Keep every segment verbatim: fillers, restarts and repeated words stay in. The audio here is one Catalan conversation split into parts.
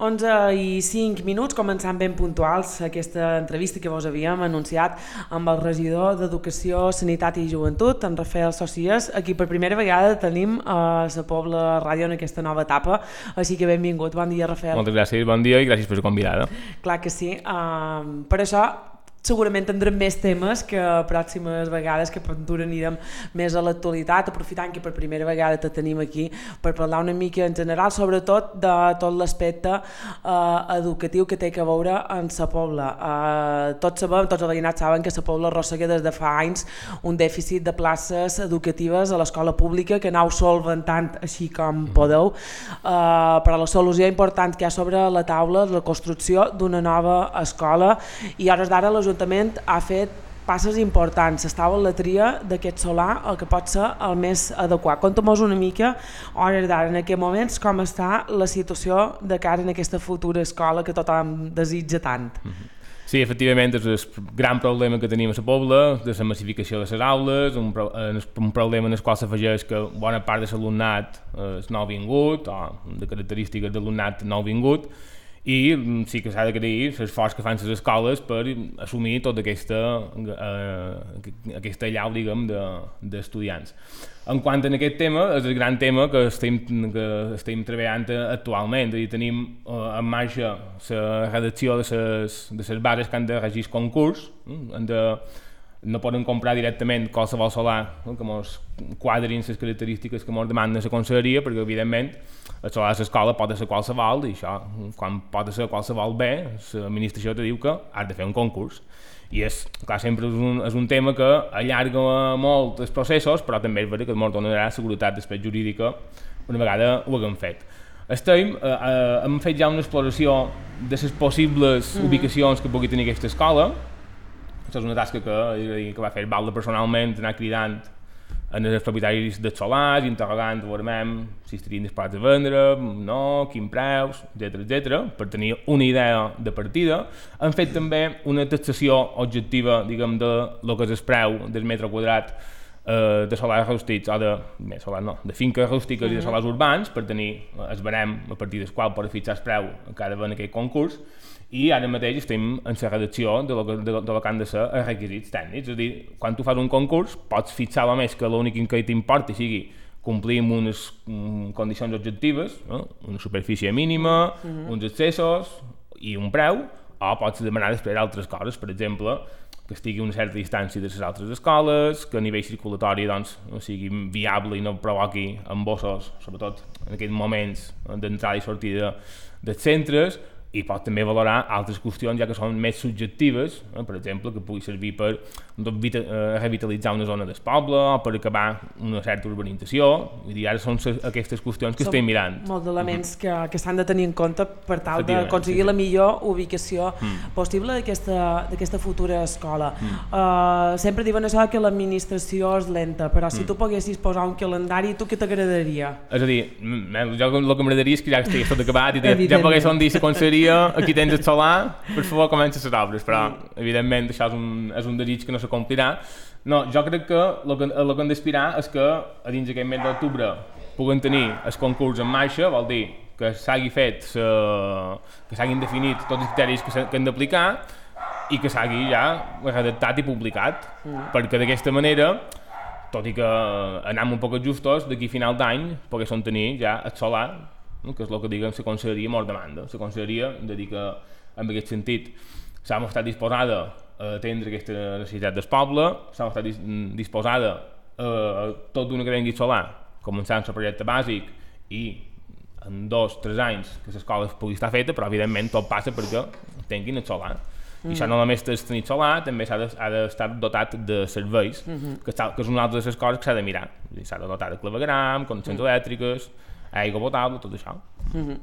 onze i cinc minuts, començant ben puntuals aquesta entrevista que vos havíem anunciat amb el regidor d'Educació, Sanitat i Joventut, en Rafael Socias. Aquí per primera vegada tenim a la Pobla Ràdio en aquesta nova etapa, així que benvingut. Bon dia, Rafael. Moltes gràcies, bon dia i gràcies per la convidada. Clar que sí. Uh, per això segurament tindrem més temes que pròximes vegades, que per ventura anirem més a l'actualitat, aprofitant que per primera vegada te tenim aquí per parlar una mica en general, sobretot de tot l'aspecte eh, educatiu que té que veure en la Pobla. Eh, tots sabem, tots els veïnats saben que la Pobla arrossega des de fa anys un dèficit de places educatives a l'escola pública que aneu solventant així com podeu, eh, però la solució important que hi ha sobre la taula és la construcció d'una nova escola i a hores d'ara l'Ajuntament l'Ajuntament ha fet passes importants. Estava en la tria d'aquest solar, el que pot ser el més adequat. Conta'm-nos una mica, a hores d'ara, en aquests moments, com està la situació de cara en aquesta futura escola que tothom desitja tant. Sí, efectivament, és el gran problema que tenim a la Pobla, de la massificació de les aules, un, pro un problema en el qual s'afegeix que bona part de l'alumnat és nouvingut, o de característiques d'alumnat nouvingut, i sí que s'ha d'agrair l'esforç que fan les escoles per assumir tota aquesta, eh, aquesta allau, diguem, d'estudiants. En quant a aquest tema, és el gran tema que estem, que estem treballant actualment, és a dir, tenim eh, en marxa la redacció de les, de les bases que han de regir el concurs, han de, no poden comprar directament qualsevol solar no? que ens quadrin les característiques que ens demanden la conselleria, perquè evidentment el solar de l'escola pot ser qualsevol i això, quan pot ser qualsevol bé, l'administració te diu que has de fer un concurs. I és, clar, sempre és un, és un tema que allarga molt els processos, però també és veritat que ens donarà seguretat després jurídica una vegada ho haguem fet. Estem, eh, eh, hem fet ja una exploració de les possibles mm. ubicacions que pugui tenir aquesta escola. Això és una tasca que, que va fer Balda personalment, anar cridant en els propietaris dels solars, interrogant, veurem si estarien disposats a vendre, no, quin preus, etcètera, etcètera, per tenir una idea de partida. Han fet també una taxació objectiva, diguem, de lo que és el preu del metre quadrat eh, de solars rústics, o de, bé, solar no, de finques rústiques uh -huh. i de solars urbans, per tenir el barem a partir del qual per fixar el preu que ha d'haver en aquest concurs. I ara mateix estem en la redacció de lo que, de, de lo que han de ser els requisits tècnics. És a dir, quan tu fas un concurs pots fixar a més que l'únic que t'importi sigui complir amb unes um, condicions objectives, no? Una superfície mínima, uh -huh. uns accessos i un preu, o pots demanar després altres coses, per exemple, que estigui a una certa distància de les altres escoles, que a nivell circulatori doncs, no sigui viable i no provoqui embossos, sobretot en aquests moments d'entrada i sortida dels centres, i pot també valorar altres qüestions ja que són més subjectives, eh? Per exemple, que pugui servir per eh, revitalitzar una zona del poble o per acabar una certa urbanització. Vull dir, ara són aquestes qüestions que són estem mirant. Molts elements que, que s'han de tenir en compte per tal d'aconseguir sí, sí. la millor ubicació mm. possible d'aquesta futura escola. Mm. Uh, sempre diuen això que l'administració és lenta, però si mm. tu poguessis posar un calendari, tu què t'agradaria? És a dir, jo el que m'agradaria és que ja estigués tot acabat i ja pogués dir la conselleria aquí tens el solar, per favor comença les obres, però sí. evidentment això és un, és un desig que no s'acomplirà. No, jo crec que el que, el que hem d'aspirar és que a dins d'aquest mes d'octubre puguen tenir el concurs en marxa, vol dir que s'hagi fet, sa, que s'hagin definit tots els criteris que, que hem d'aplicar i que s'hagi ja redactat i publicat, mm. perquè d'aquesta manera, tot i que anem un poc justos, d'aquí a final d'any poguéssim tenir ja el solar, que és el que diguem la conselleria mos demanda. La conselleria de dir que en aquest sentit s'ha mostrat disposada a atendre aquesta necessitat del poble, s'ha mostrat dis disposada a tot d'una cadena solar, començant el projecte bàsic i en dos o tres anys que l'escola pugui estar feta, però evidentment tot passa perquè tinguin el solar. Mm. I això no només és tenir solar, també s'ha d'estar de, dotat de serveis, mm -hmm. que, està, que és una altra de les coses que s'ha de mirar. S'ha de dotar de clavegueram, connexions mm. elèctriques, aigua potable, tot això. Uh-huh.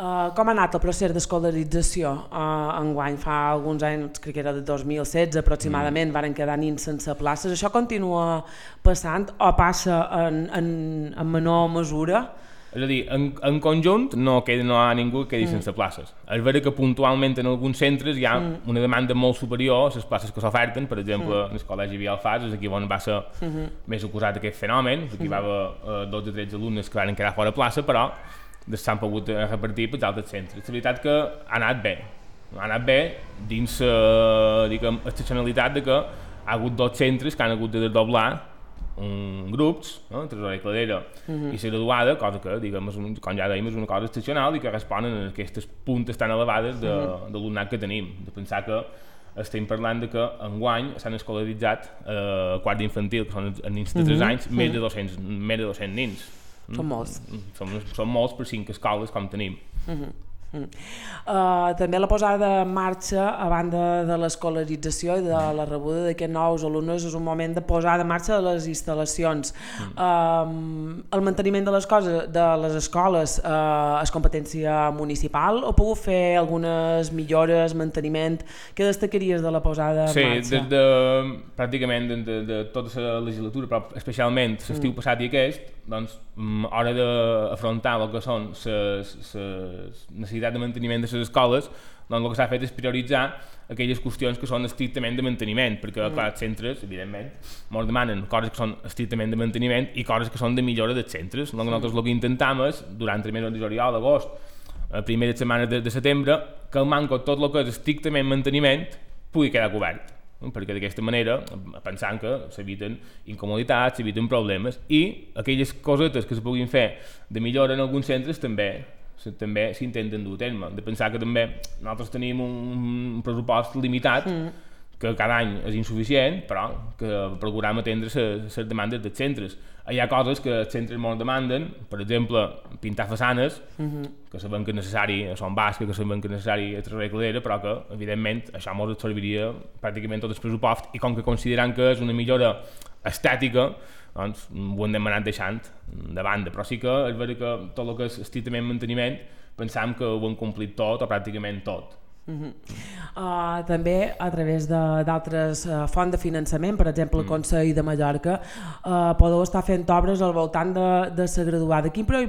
uh, com ha anat el procés d'escolarització uh, enguany? Fa alguns anys, crec que era de dos mil setze aproximadament, mm. varen quedar nins sense places. Això continua passant o passa en, en, en menor mesura? És a dir, en, en conjunt no, queda, no hi ha ningú que quedi mm. sense places. És vera que puntualment en alguns centres hi ha mm. una demanda molt superior a les places que s'oferten, per exemple, mm. en el col·legi Vialfars, és aquí on va ser mm -hmm. més acusat aquest fenomen, aquí mm -hmm. va haver eh, dotze o tretze alumnes que van quedar fora plaça, però s'han pogut repartir pels altres centres. La veritat que ha anat bé, ha anat bé dins la uh, excepcionalitat de que ha hagut dos centres que han hagut de desdoblar um, grups, no? Tresora i Cladera uh-huh. i la graduada, cosa que, diguem, és un, com ja dèiem, és una cosa excepcional i que responen a aquestes puntes tan elevades de, uh-huh. d'alumnat que tenim. De pensar que estem parlant de que enguany s'han escolaritzat a eh, quart d'infantil, que són els nins de tres uh-huh. anys, uh-huh. més de dos-cents, més de dos-cents nins. Són molts. Són, són molts per cinc escoles com tenim. Uh-huh. Mm. Uh, també la posada en marxa a banda de l'escolarització i de la rebuda d'aquests nous alumnes és un moment de posar en marxa de les instal·lacions. Mm. Uh, el manteniment de les coses de les escoles uh, és competència municipal o puc fer algunes millores, manteniment? Què destacaries de la posada en sí, marxa? Sí, des de, pràcticament de, de, de tota la legislatura, però especialment l'estiu mm. passat i aquest, doncs, a hora d'afrontar el que són les necessitats de manteniment de les escoles, doncs el que s'ha fet és prioritzar aquelles qüestions que són estrictament de manteniment, perquè mm. clar, els centres, evidentment, ens demanen coses que són estrictament de manteniment i coses que són de millora dels centres. Doncs nosaltres el que intentem és, durant el mes de juliol, agost, a primeres setmanes de, de setembre, que el manco tot el que és estrictament manteniment pugui quedar cobert, perquè d'aquesta manera, pensant que s'eviten incomoditats, s'eviten problemes, i aquelles cosetes que se puguin fer de millora en alguns centres també també s'intenten dur a terme. De pensar que també nosaltres tenim un pressupost limitat mm. que cada any és insuficient, però que procurem atendre les demandes dels centres. Hi ha coses que els centres ens demanden, per exemple, pintar façanes, mm-hmm. que sabem que és necessari a Son Basca, que sabem que és necessari a Tresora i Cladera, però que, evidentment, això ens absorbiria pràcticament tot el pressupost, i com que considerem que és una millora estètica, doncs ho hem demanat deixant de banda, però sí que és veritat que tot el que és estrictament manteniment pensam que ho hem complit tot o pràcticament tot. Uh-huh. Uh, també a través d'altres uh, fonts de finançament, per exemple el mm. Consell de Mallorca, uh, podeu estar fent obres al voltant de, de la graduada. Quin, pro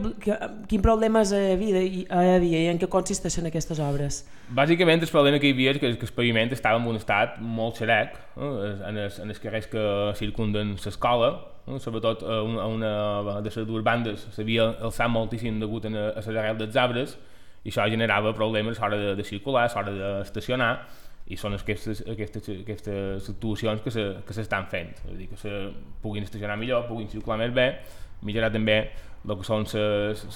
quin problemes hi havia, hi havia i en què consisteixen aquestes obres? Bàsicament el problema que hi havia és que, que el paviment estava en un estat molt xerec, eh, en, els, en els carrers que circunden l'escola, eh, sobretot a una, a una de les dues bandes s'havia alçat moltíssim degut a, a l'arrel dels arbres, i això generava problemes a l'hora de, de circular, a l'hora d'estacionar, i són aquestes, aquestes, aquestes actuacions que s'estan fent, és a dir, que se puguin estacionar millor, puguin circular més bé, millorar també el que són les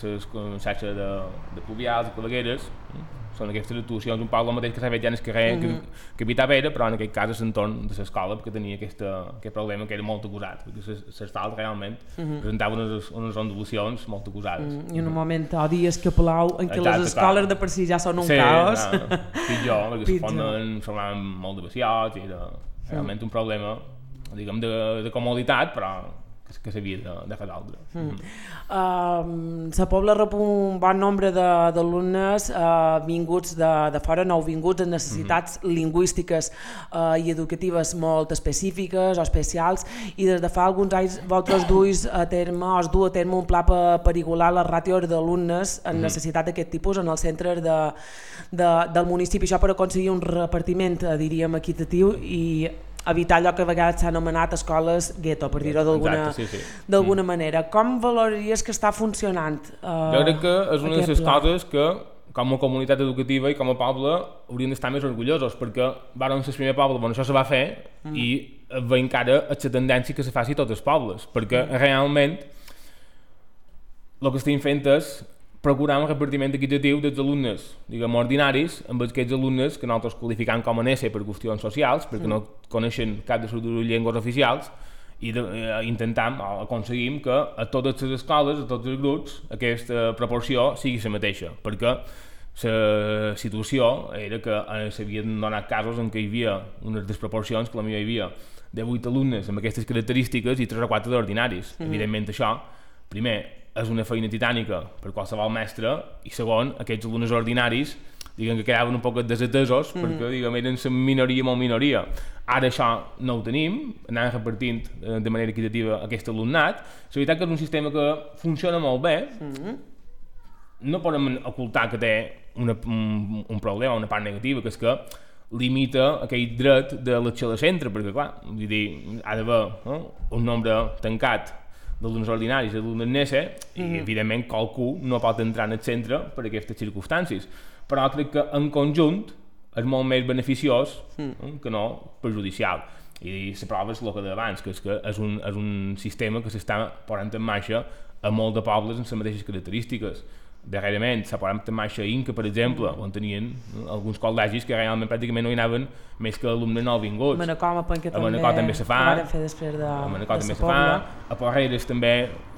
xarxes de, de pluvials, de clavegueres, són aquestes actuacions un poc el mateix que s'ha fet ja en el carrer mm -hmm. que, que Vita Vera, però en aquest cas és l'entorn de l'escola, perquè tenia aquesta, aquest problema que era molt acusat, perquè l'asfalt realment mm -hmm. presentava unes, unes ondulacions molt acusades. Mm -hmm. I en un moment o dies que plou, en què Exacte, les escoles clar. de per si ja són un sí, caos. Sí, no, pitjor, perquè se formen, formaven molt de vaciots, i era realment mm. un problema, diguem, de, de comoditat, però que s'havia de, de fer d'altre. Mm. Mm. Uh, la Pobla rep un bon nombre d'alumnes uh, vinguts de, de fora, nouvinguts amb necessitats mm -hmm. lingüístiques uh, i educatives molt específiques o especials, i des de fa alguns anys vosaltres duis a terme, o es du a terme un pla per, per igualar les ràtios d'alumnes en mm -hmm. necessitat d'aquest tipus en els centres de, de, del municipi, això per aconseguir un repartiment, diríem, equitatiu i evitar allò que a vegades s'ha anomenat escoles gueto, per dir-ho d'alguna sí, sí. mm. manera. Com valoraries que està funcionant? Uh, jo crec que és una de les coses que, com a comunitat educativa i com a poble, hauríem d'estar més orgullosos, perquè vàrem ser el primer poble on això se va fer mm. i ve encara la tendència que se faci a tots els pobles, perquè mm. realment el que estem fent és procurar un repartiment equitatiu dels alumnes, diguem, ordinaris, amb aquests alumnes que nosaltres qualificam com a N S per qüestions socials, perquè mm. no coneixen cap de les dues llengües oficials, i de, eh, intentam, o aconseguim que a totes les escoles, a tots els grups, aquesta proporció sigui la mateixa, perquè la situació era que eh, s'havien donat casos en què hi havia unes desproporcions, que la millor hi havia de vuit alumnes amb aquestes característiques i tres o quatre d'ordinaris. Mm. Evidentment això, primer, és una feina titànica per qualsevol mestre, i segon, aquests alumnes ordinaris diguem que quedaven un poc desatesos mm. perquè diguem, eren la minoria molt minoria. Ara això no ho tenim, anàvem repartint de manera equitativa aquest alumnat. La veritat que és un sistema que funciona molt bé, mm. no podem ocultar que té una, un, un problema, una part negativa, que és que limita aquell dret de l'elecció de centre, perquè clar, vull dir, ha d'haver no? un nombre tancat d'alumnes ordinaris i d'alumnes NESE, i mm-hmm. evidentment qualcú no pot entrar en el centre per aquestes circumstàncies. Però crec que en conjunt és molt més beneficiós mm. que no perjudicial. I la prova és el que d'abans, que és que és un, és un sistema que s'està posant en marxa a molts de pobles amb les mateixes característiques. Darrerament s'ha posat en marxa a Inca, per exemple, on tenien alguns col·legis que realment pràcticament no hi anaven més que alumnes nouvinguts. A Manacor, a Penca també, també se fa, ho van fer després de, a Manacor de també se fa, a Porreres també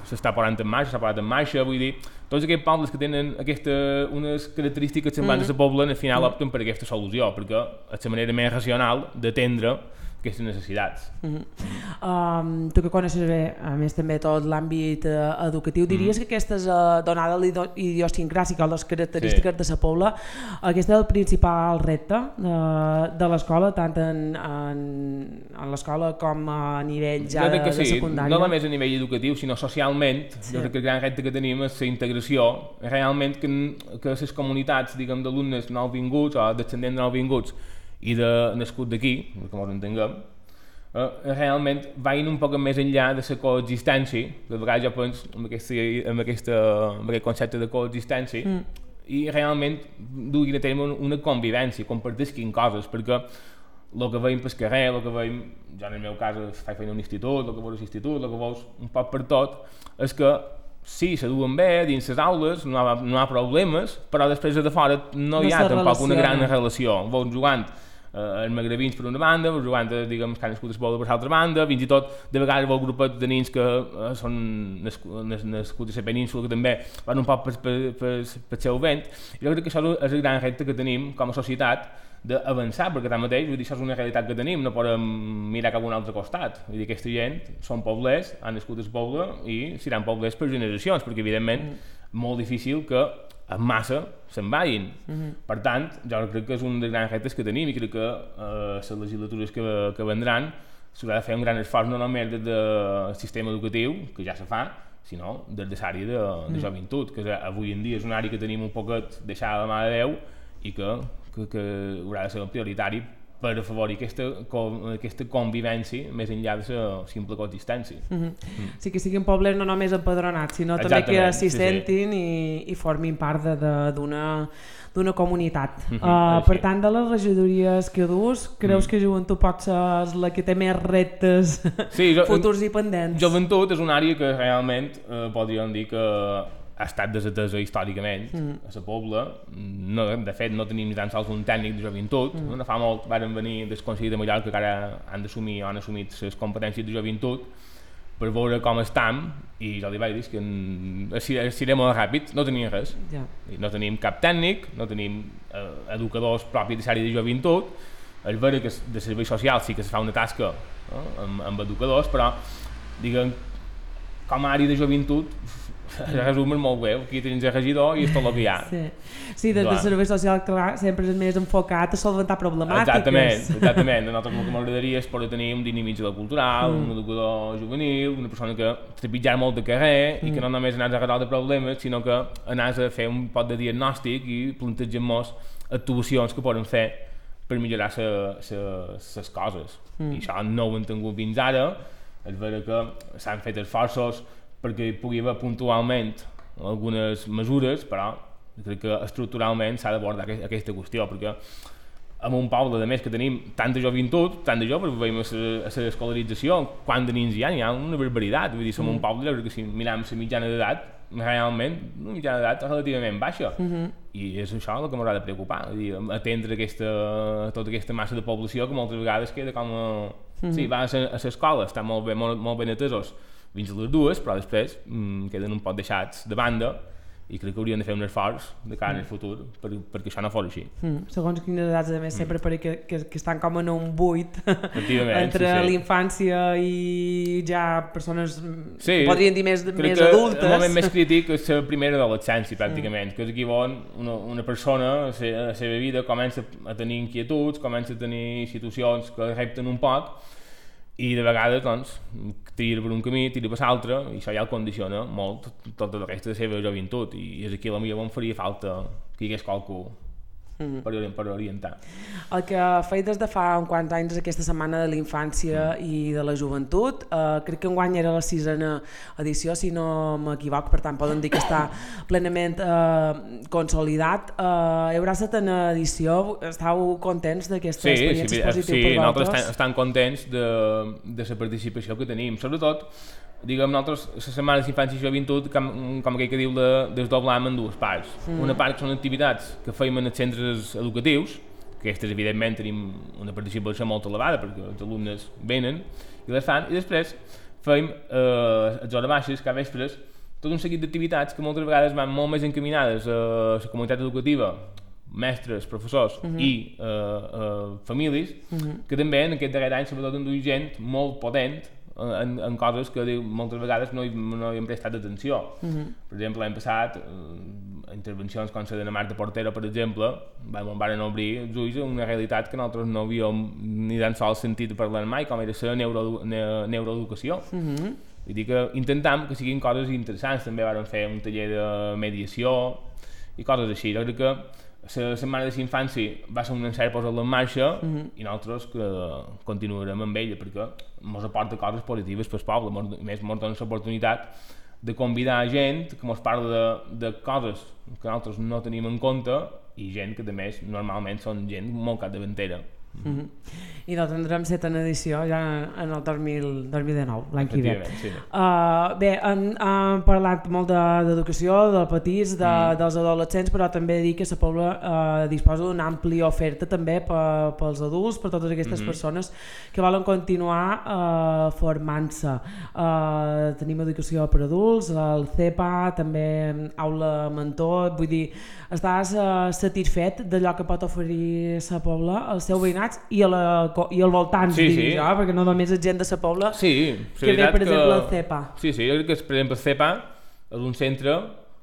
s'està posant en marxa, s'ha posat en marxa, vull dir, tots aquests pobles que tenen aquesta, unes característiques semblants mm-hmm. a la pobla, al final mm-hmm. opten per aquesta solució, perquè és la manera més racional d'atendre aquestes necessitats. Mm-hmm. um, tu que coneixes bé, a més també tot l'àmbit uh, educatiu, diries mm. que aquestes, uh, donada l'idiosincràsica o les característiques sí. de la pobla, aquest és el principal repte de, de l'escola, tant en, en, en l'escola com a nivell ja de, sí. de secundària? No només a nivell educatiu, sinó socialment, sí. jo crec que el gran repte que tenim és la integració, realment que, que les comunitats, diguem, d'alumnes nouvinguts o descendents nouvinguts i de nascut d'aquí, com ens entenguem, eh, realment vagin un poc més enllà de la coexistència, que de vegades jo penso en, aquesta, en, aquesta, en aquest concepte de coexistència, mm. i realment duguin a terme una convivència, compartisquin coses, perquè el que veiem pel carrer, el que veiem, jo en el meu cas faig feina a un institut, el que veus a l'institut, el que veus un poc per tot, és que sí, se duen bé dins les aules, no hi ha, no hi ha problemes, però després de fora no hi ha no tampoc una gran relació. Veus jugant eh, els magrebins per una banda, veus jugant, diguem, que han nascut a Espola per l'altra banda, fins i tot de vegades veus grupets de nins que eh, són nascuts a la península, que també van un poc per, per, per, per seu vent. Jo crec que això és el gran repte que tenim com a societat, d'avançar, perquè tanmateix, vull dir, això és una realitat que tenim, no podem mirar cap a un altre costat. Vull dir, aquesta gent són poblers, han nascut al poble i seran poblers per generacions, perquè evidentment mm. molt difícil que en massa se'n vagin. Mm-hmm. Per tant, jo crec que és un dels grans reptes que tenim i crec que eh, les legislatures que, que vendran s'haurà de fer un gran esforç no només des del sistema educatiu, que ja se fa, sinó des de l'àrea de, de mm. joventut, que avui en dia és una àrea que tenim un poquet deixada a la mà de Déu i que que, que haurà de ser prioritari per afavorir aquesta, aquesta convivència més enllà de la simple coexistència. Mm-hmm. Mm. Sí que siguin pobles no només empadronats, sinó Exactament, també que s'hi sí, sentin sí. i, i formin part d'una d'una comunitat. Mm-hmm. uh, per tant, de les regidories que dus, creus mm. que joventut pot ser la que té més reptes sí, jo, futurs i pendents? Joventut és una àrea que realment eh, podríem dir que ha estat desatesa històricament mm. a la pobla. No, de fet, no tenim ni tan sols un tècnic de joventut. Mm. No fa molt varen venir del Consell de Mallorca que ara han d'assumir o han assumit les competències de joventut per veure com estem i jo li vaig dir que seré molt ràpid, no tenim res. Yeah. No tenim cap tècnic, no tenim eh, educadors propis de l'àrea de joventut. És vera que de servei social sí que es fa una tasca eh, amb, amb educadors, però diguem, com a àrea de joventut resum és molt bé, aquí tens el regidor i és tot el que hi ha. Sí, sí des del servei social clar, sempre és més enfocat a solventar problemàtiques. Exactament, exactament. A nosaltres el que m'agradaria és poder tenir un dinamitzador cultural, mm. un educador juvenil, una persona que trepitjar molt de carrer mm. i que no només anàs a resoldre problemes, sinó que anàs a fer un pot de diagnòstic i plantegem-nos actuacions que poden fer per millorar les coses. Mm. I això no ho hem tingut fins ara. És vera que s'han fet esforços perquè hi pugui haver puntualment algunes mesures, però crec que estructuralment s'ha d'abordar aquesta qüestió, perquè en un poble, a més, que tenim tanta joventut, tant de joves, veiem a l'escolarització, quant de nins hi ha, hi ha una barbaritat, vull dir, som mm. un poble que si mirem la mitjana d'edat, realment, una mitjana d'edat relativament baixa, mm-hmm. i és això el que m'haurà de preocupar, vull dir, atendre aquesta, tota aquesta massa de població que moltes vegades queda com a... Mm-hmm. Sí, va a l'escola, estan molt, bé, molt, molt ben atesos, fins a les dues, però després mmm, queden un poc deixats de banda i crec que hauríem de fer un esforç de cara mm. al futur per, perquè això no fos així. Mm. Segons quines edats, a més, sempre mm. perquè que, que estan com en un buit entre sí, sí. l'infància i ja persones, sí, podríem dir, més, més que adultes. El moment més crític és la primera adolescència, pràcticament, mm. que és aquí on una, una persona a la seva vida comença a tenir inquietuds, comença a tenir situacions que repten un poc, i de vegades doncs, tira per un camí, tira per l'altre, i això ja el condiciona molt tota la resta de la seva joventut, i és aquí a la millor on faria falta que hi hagués qualcú mm. per, per orientar. El que feia des de fa uns quants anys aquesta setmana de la infància mm. i de la joventut, eh, crec que enguany era la sisena edició, si no m'equivoc, per tant poden dir que està plenament eh, consolidat. Eh, hi haurà setena edició, estàu contents d'aquesta sí, experiència sí, positiva sí, per vosaltres? Sí, nosaltres estem, estem contents de, de la participació que tenim, sobretot diguem, nosaltres, les setmanes d'infància i joventut, com, com aquell que diu, de desdoblam en dues parts. Mm. Una part que són activitats que feim en els centres educatius, que aquestes, evidentment, tenim una participació molt elevada, perquè els alumnes venen i les fan, i després feim, eh, a les hores baixes, cada vespres, tot un seguit d'activitats que moltes vegades van molt més encaminades a la comunitat educativa, mestres, professors mm -hmm. i eh, eh, famílies, mm -hmm. que també en aquest darrer any, sobretot, han dut gent molt potent En, en coses que diu, moltes vegades no hi, no hi hem prestat atenció. Uh -huh. Per exemple, l'any passat, eh, intervencions com la de Marta Portero, per exemple, vam, van obrir els ulls a una realitat que nosaltres no havíem ni tan sols sentit parlar mai, com era la neuro, ne, neuroeducació. Uh -huh. Vull dir que intentam que siguin coses interessants. També vam fer un taller de mediació i coses així. Jo crec que la setmana de l'infància va ser un encert posar-la en marxa uh -huh. i nosaltres que continuarem amb ella perquè ens aporta coses positives pel poble, mos, més ens dona l'oportunitat de convidar gent que ens parla de, de coses que nosaltres no tenim en compte i gent que, a més, normalment són gent molt capdavantera. Mm -hmm. I doncs tindrem setena edició ja en el dos mil dinou, l'any que ve. Sí. Uh, bé, hem, hem parlat molt d'educació, de, de petits, de, mm. dels adolescents, però també dir que la Pobla uh, disposa d'una àmplia oferta també pe, pels adults, per totes aquestes mm -hmm. persones que volen continuar uh, formant-se. Uh, tenim educació per adults, el C E P A, també aula mentor, vull dir, estàs uh, satisfet d'allò que pot oferir la Pobla al seu veïnat i, a la, i al voltant, sí, diria sí. jo, perquè no només és gent de la Pobla sí, que ve, per exemple, el C E P A. Sí, sí, jo crec que, per exemple, el C E P A és un centre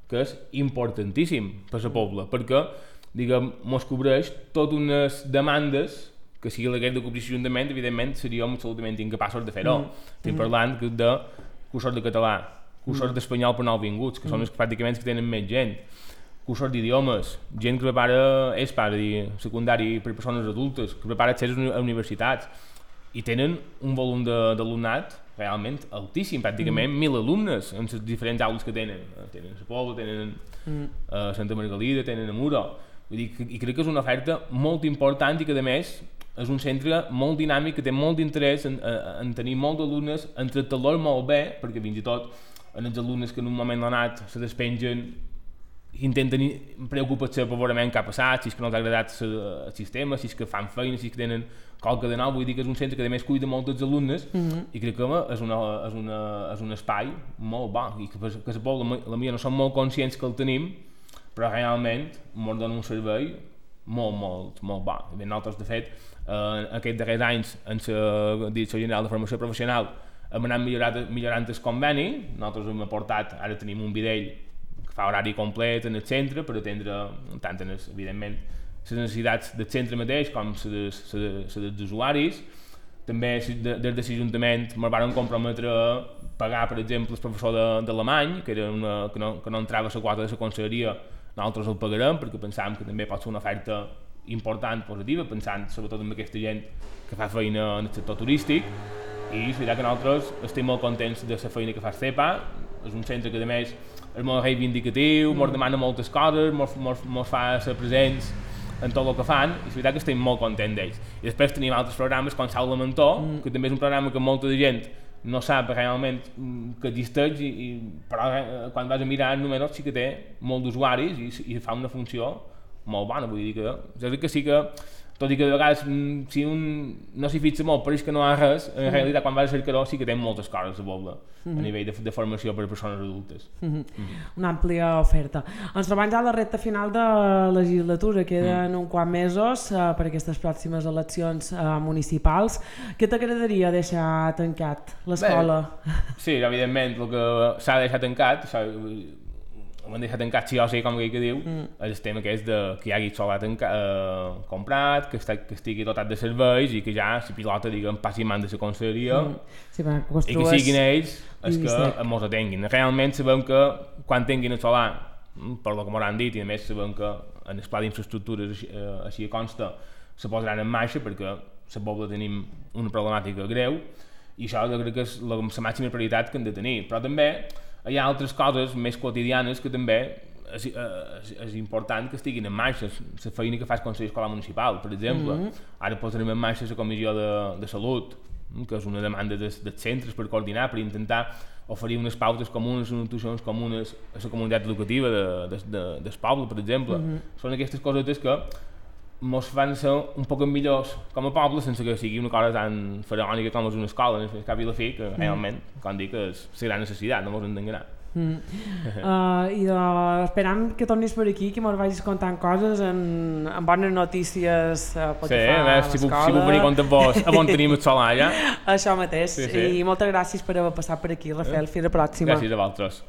que és importantíssim per la Pobla, perquè, diguem, mos cobreix totes unes demandes que si la hagués de cobrir l'Ajuntament, evidentment, seríem absolutament incapaços de fer-ho. Mm. Estem mm. parlant de cursos de català, cursos mm. d'espanyol per nouvinguts, que mm. són els pràcticament que tenen més gent, cursos d'idiomes, gent que prepara E S P A, dir, secundari per persones adultes, que prepara accés a universitats i tenen un volum d'alumnat realment altíssim, pràcticament mm. mil alumnes en les diferents aules que tenen. Tenen a la Pobla, tenen mm. a Santa Margalida, tenen a Muro. Vull dir, i crec que és una oferta molt important i que, a més, és un centre molt dinàmic que té molt d'interès en, en tenir molts alumnes, en tractar-los molt bé, perquè fins i tot en els alumnes que en un moment donat se despengen intenten preocupar-se per veure què ha passat, si és que no els ha agradat el sistema, si és que fan feina, si és que tenen qualque de nou. Vull dir que és un centre que a més cuida molt dels alumnes mm -hmm. i crec que és, una, és, una, és un espai molt bo i que, que la Pobla, la mia, no som molt conscients que el tenim, però realment ens dona un servei molt, molt, molt bo. I bé, nosaltres, de fet, eh, aquests darrers anys en la Direcció General de Formació Professional hem anat millorant, millorant el conveni. Nosaltres hem aportat, ara tenim un videll fa horari complet en el centre per atendre tant, en els, evidentment, les necessitats del centre mateix com les dels usuaris. També des de l'Ajuntament ens van comprometre a pagar, per exemple, el professor d'alemany, que, era una, que, no, que no entrava a la quota de la conselleria, nosaltres el pagarem perquè pensàvem que també pot ser una oferta important, positiva, pensant sobretot en aquesta gent que fa feina en el sector turístic. I és veritat que nosaltres estem molt contents de la feina que fa el C E P A. És un centre que, a més, és molt reivindicatiu, ens mm. demana moltes coses, ens fa ser presents en tot el que fan, i és veritat que estem molt contents d'ells. I després tenim altres programes com Saula Mentor, mm. que també és un programa que molta de gent no sap realment que existeix, i, i, però eh, quan vas a mirar els números sí que té molt d'usuaris i, i fa una funció molt bona. Vull dir que, jo crec que sí que, tot i que de vegades si un no s'hi fixa molt pareix que no ha res, en mm. realitat quan vas a cercar-ho sí que té moltes coses a Pobla mm -hmm. a nivell de, de formació per a persones adultes. Mm -hmm. Mm -hmm. Una àmplia oferta. Ens trobem ja a la recta final de la legislatura, queden mm. uns quants mesos uh, per aquestes pròximes eleccions uh, municipals. Què t'agradaria deixar tancat l'escola? Sí, evidentment el que s'ha de deixar tancat, ho hem deixat tancat sí o sí, com aquell que diu, mm. el tema que és de, que hi hagi solar eh, comprat, que, està, que estigui dotat de serveis i que ja la pilota, diguem, passi en mans de la conselleria mm. sí, i que siguin ells els que mos atenguin. Realment sabem que quan tinguin el solar, per lo que m'ho han dit, i a més sabem que en el pla d'infraestructures així, eh, així consta se posaran en marxa perquè la Pobla tenim una problemàtica greu i això jo crec que és la, la màxima prioritat que hem de tenir, però també hi ha altres coses més quotidianes que també és, és, és important que estiguin en marxa, la feina que fa el Consell Escolar Municipal, per exemple. Mm -hmm. Ara posarem en marxa la Comissió de, de Salut, que és una demanda dels, dels centres per coordinar, per intentar oferir unes pautes comunes, unes actuacions comunes a la comunitat educativa de, de, de, del poble, per exemple. Mm -hmm. Són aquestes cosetes que ens fan ser un poc millors com a poble sense que sigui una cosa tan faraònica com és una escola, al cap i a la fi, que mm. realment, com dic, és la gran necessitat, no ens hem d'enganar. Mm. uh, i de, esperam que tornis per aquí, que mos vagis contant coses en, en bones notícies uh, pel sí, que fa a si l'escola. Si puc venir compte amb vos, a on tenim el solar ja. Això mateix, sí, sí. i moltes gràcies per haver passat per aquí, Rafael, fins la pròxima. Gràcies a vosaltres.